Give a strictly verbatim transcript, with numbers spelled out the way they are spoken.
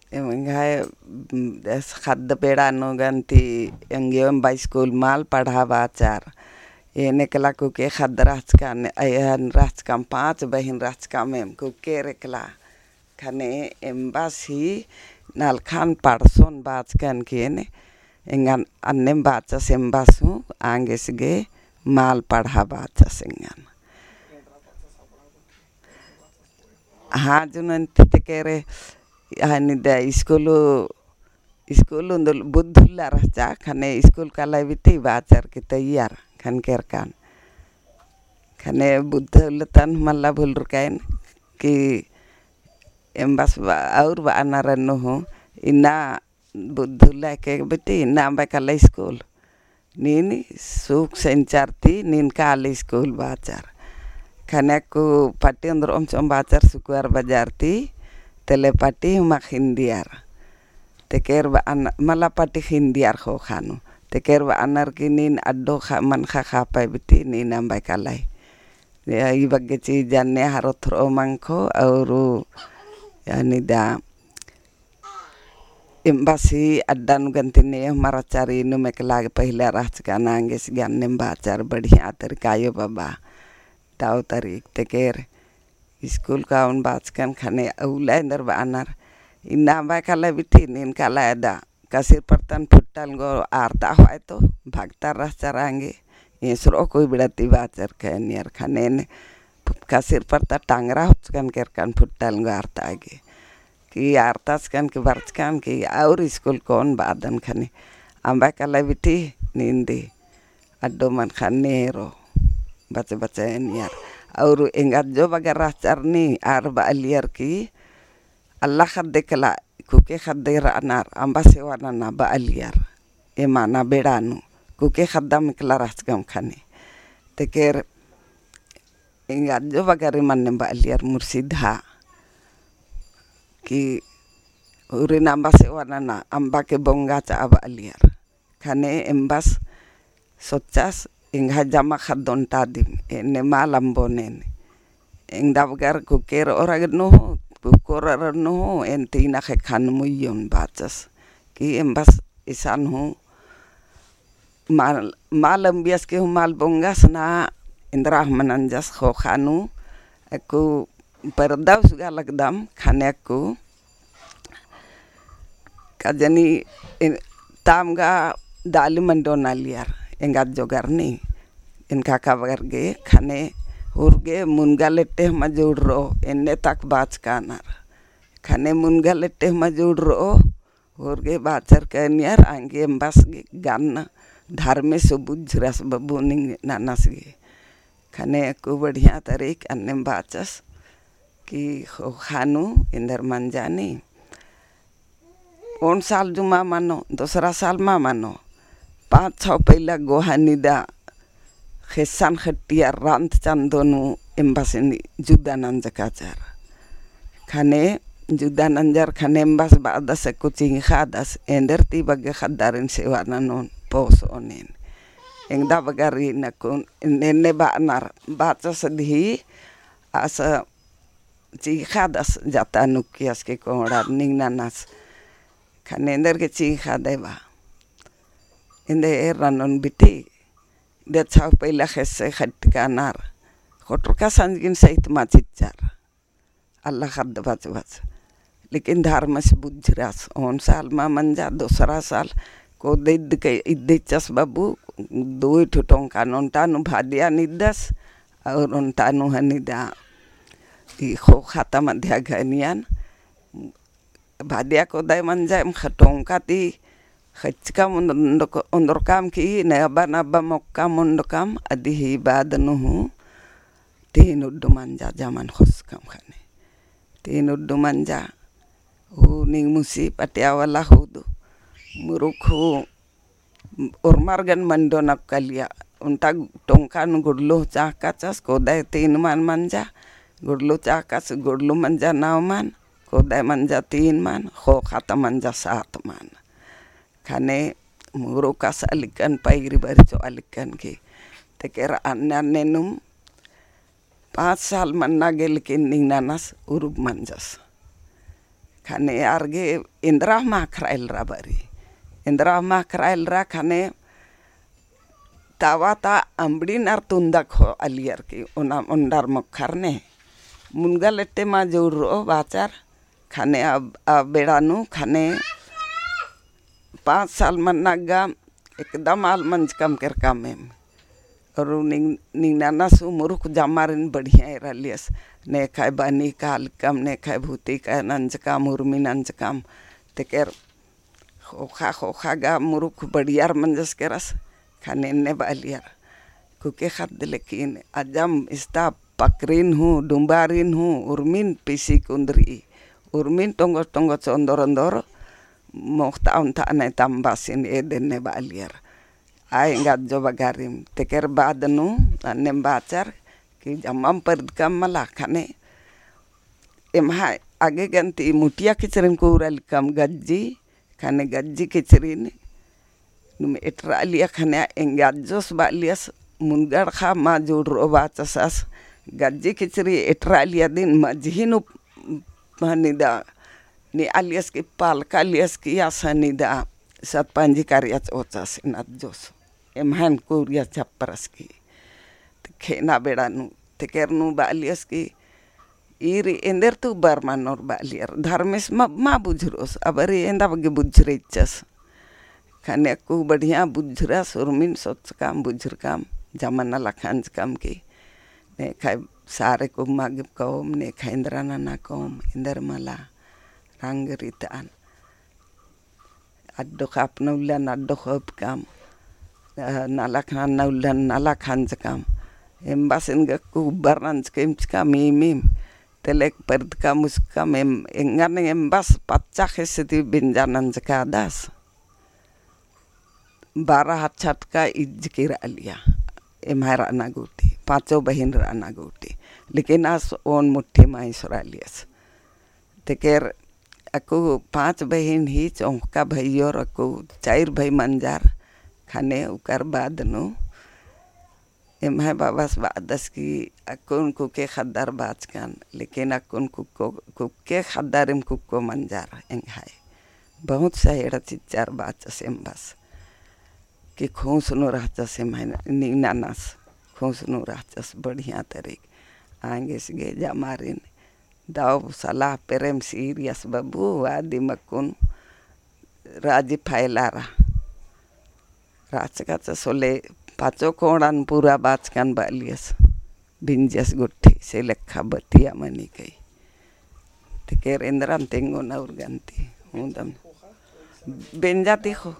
एम एंग्है, उम, एस ख़द्द बेड़ा नू गन्ती एंग्यो एम्बा स्कूल मल पढ़आ बाचर। एन एकला कुके ख़द्द रहचकन, अयन रहचकम, पाँच बहिन रहचकम एम कुकेर एकला। ख़ने एम्बस ही नलखन पढ़सोन बाचकन की एन एंगन अन्नेम बाचस एम्बस हूँ आंगेस गे मल पढ़आ बाचस एंगन। हाँ, जुनन तितकेरे, हाँ, निदा स्कूल, स्कूल उन्दुल बुद्धुल्ला रहचा, ख़ने स्कूल काला बिटी बाचर की तैयार ख़ने केरकन। ख़ने बुद्धुल्ला तन मला भुलरकन की एम्बस बा-, और बअनर नू हूँ, इन्ना बुद्धुल्ला के बिटी, इन्ना अम्बा काला स्कूल। नीन सुक सेंचर ती नीन काला स्कूल बाचर। ख़ने अक्कु पट्टी ओन्द्रओम चोम बाचर सुकुवार बजार ती, तेले पट्टी हूँ मल ख़िंदियर। तेकेर बअन-, मला पट्टी ख़िंदियर ख़ोख़ा नू। तेकेर बअनर की नीन अड्डो ख़ा-, मनख़ा ख़ापय बिटी नीन अम्बा काला। या ई बग्गे चीज अन्ने हरो थ्रो मंखो और या निदा एम्बस ही अड्डा नू गन्ती ने हमारा चारी नू मेकला गे पहिला रहचकन आंगेस गे अन्नेम बाचर बढ़िया तरीका आयो बाबा। दव तरीक तेकेर स्कूल काओन बाचकन ख़ने अउला एन्देर बअनर। इन्ना अम्बा काला बिटी नीन काला एदा। कसिर परतन फुट्टल गो आरता होय तो भगतर रहचर आंगे। एसरो कोई बिड़ा ती बाचर कनियर ख़ने ने कसिर परता टांगरा होचकन केरकन फुट्टल गो आरता गे। की आरताचकन की बरचकन की और स्कूल काओन बादन ख़ने अम्बा काला बिटी नीन दी अड्डो मन ख़ने रो बच बच एनियर। और एंगा जो बगर रहचर नी आर बअलियर की अल्ला ख़द्द एकला कुके ख़द्द रअनर अम्बा सेवा नना बअलियर। एमा ना बेड़ा नू कुके ख़द्दम एकला रहचकम ख़ने। तेकेर एंगा जो बगर एमन ने बअलियर मुर्शिदा की उरिन अम्बा सेवा नना अम्बा के बोंगा चाआ बअलियर। ख़ने एम्बस सोचस एंग्है जमा ख़द्द ओन्टा दिम एन्ने मल अम्बोन एन। एंग दबगर कुकेर ओरग नू हूँ, कुकोर ओरग नू हूँ, एन तीना ख़ेक्खन मुइयोन बाचस। की एम्बस इसन हूँ मल, मल अम्बियस की हूँ मल बोंगस ना एन्दरा हूँ मल नंजस ख़ोख़ा नू। अक्कु परदा उसगा लगदम ख़ने अक्कु का जनी ताम गा दाली मंडो नालियर एंगा जोगर नी। एन काका बगर गे ख़ने हुर गे मुनगा लेट्टे हूँ मल जुड़रो एन्ने तक बाचकानर। ख़ने मुनगा लेट्टे हूँ मल जुड़रो हुर गे बाचर कनियर आंगे एम्बस गे गन्न धर्मेस बुझरस बबुनिंग ननस गे। ख़ने अक्कु बढ़िया तरीक अन्नेम बाचस की ख़ोख़ा नू एन्देर मंजा नी। ओन साल जू मल मनो, दोसरा साल मल मनो। पाँच छौ पइला गोहा निदा ख़ेस्सन ख़ेट्टियर रंत चंदो नू एम्बस नी जुदा नंजकाचर। ख़ने जुदा नंजर ख़ने एम्बस बादस अक्कु चिंख़ादस एन्देर ती बग्गे ख़द्दारिन सेवा ननोन पोसोन एन। एंगदा बगर री नकुन एन्ने बअनर बाचस दिही आस चिंख़ादस जाता नुक्कियस के कोंड़ार निंग ननस। ख़ने एन्देर गे चिंख़ादय बा। एन्देर ननोन बिटी दे छौ पइला ख़ेस्से ख़ेट्टकानर। ख़ोटरका संजगिन सहित मल चिच्चर। अल्ला ख़द्द बच बच। लेकिन धर्मेस बुझरस। ओन साल मल मंजा, दोसरा साल कोदे इद्दके, इद्दे इच्चस बबु, दुई ठो टोंका ओन्टा नू भादिया निद्दस, और ओन्टा नू हनिदा ई ख़ोख़ा ता मध्या घनियन, भादिया कोदय मंजा एम ख-, टोंका ती ख़ेच्चकम ओन्द-, ओन्द-, ओन्दरकम की नबा नबा मोक्कम ओन्डकम अदिही बाद नू हूँ तीन उड्डू मंजा जमन ख़ोसकम ख़ने। तीन उड्डू मंजा हूँ निंग मुसी पटिया वाला हूँ दू मुरुख हूँ ओरमर गन मंडो नक्कलिया। ओन्टा टोंका नू गुडलो चाहकाचस, कोदय तीन मन मंजा, गुडलो चाहकाचस, गुडलो मंजा नौ मन, कोदय मंजा तीन मन, ख़ोख़ा ता मंजा सात मन। ख़ने मुरुखस अलिकन पैरी बरचो अलिकन की। तेकेर अन्ने अन्ने नुम पाँच साल मन्ना गे लेकिन निंग ननस उरुब मंजस। ख़ने आर गे एन्दरा हूँ मा ख़क्खरा एलरा बारी। एन्दरा हूँ मा ख़क्खरा एलरा ख़ने तावा ता अम्बड़ी नार तुन्दक हो आलियर की ओना ओन्डर मोख़र ने। मुनगा लेट्टे मा जोर रओ बाचर ख़ने अब, अब बेड़ा नू ख़ने पाँच साल मन्ना गा एकदम आल मंजकम केरकम एम। और निंग-, निंग नाना सु मुरुख जमारिन बढ़िया एरालियस। नेखय बनी कालकम, नेखय भूती का नंजकम, उर्मी नंजकम। तेकर ख़ोख़ा, ख़ोख़ा गा मुरुख बढ़ियार मंजस केरस, ख़ने एन्ने बालियर। कुके ख़द्द लेकिन अजम इस्ता पकरिन हूँ, डुम्बारिन हूँ, उर्मिन पीसी कुन्दरी, उर्मिन टोंगो टोंगो चोन्दोर ओन्दोर मोख़ता ओन्ता ने तम्बासिन एदेन्ने बालियर। आ एंगा अज्जो बगारिम। तेकर बाद नू अन्नेम बाचर कि जम्मम परदकम मला ख़ने एम्हा आगे गन्ती मुटिया किचरिन कुरलकम गज्जी, ख़ने गज्जी किचरिन नुम एटरालिया ख़ने एंगा अज्जोस बालियस मुनगड़ ख़ा मा जोड़ रओ बाचसस। गज्जी किचरी एटरालिया दिन मझी नू हनिदा नी आलियस की पालका आलियस की आस हनिदा सतपंजी कारिया चोचस एन अज्जोस। एम्हन कुरिया छप्परस की। ते खेना बेड़ा नू, तेकर नू बालियस की, ईर एन्देर तू बरमानोर बालियर, धर्मेस मा, मा बुझुरोस, अबरी एन्दा बग्गे बुझुरे इच्चस। ख़ने अक्कु बढ़िया बुझुरस, उर्मिन सोचकम, बुझुरकम, जमा नलख हंजकम की, नेखय सारे कुम्मा गे कओम, नेखय एन्दरा नना कओम, एन्देर मला, रंग रीतन। अड्डो ख़ा अपना उल्लन अड्डो ख़ोपकम, अ, नलख नन्ना उल्लन नलख हंजकम। एम्बस एन गा अक्कु बरनंजकम चिकम इमिम, तेलेक परदकम उसकम एम, एंगन एम्बस पच्चा खेसे ती बेंजा नंजकादस। बारह हच्छा टका इज्ज केरालिया, एम्है रअना गूटी, पाँचो बहिन रअना गूटी। लेकिन आस ओन मुट्ठी मा ईसरालियस। तेकर अक्कु पाँच बहिन ही चौंका भइयोर अक्कु चाइर भई मंजार ख़ने उकर बाद नू एम्है बाबस बादस की अक्कुन कुके ख़द्दर बाचकन, लेकिन अक्कुन कुक्को, कुके ख़द्दरिम कुक्को मंजार एंग्है। बहुत सहेड़ा चिच्चर बाचस एम्बस। कि खुस नू रहचस एम्है निंग ननस, खुस नू रहचस बढ़िया तरीक। आंगेस गे जमारिन दव सलाह पेरेम सीरियस बबू, आदिम अक्कुन राजी फैलारा। राचकाचस होले पाचो कोड़न पूरा बाचकन बालियस। बिंजस गुट्ठी से लेखा बतिया मनी कई। तेकर एन्दरन तेंगोन और गन्ती। हूँ दम। बेंजा ती खो-,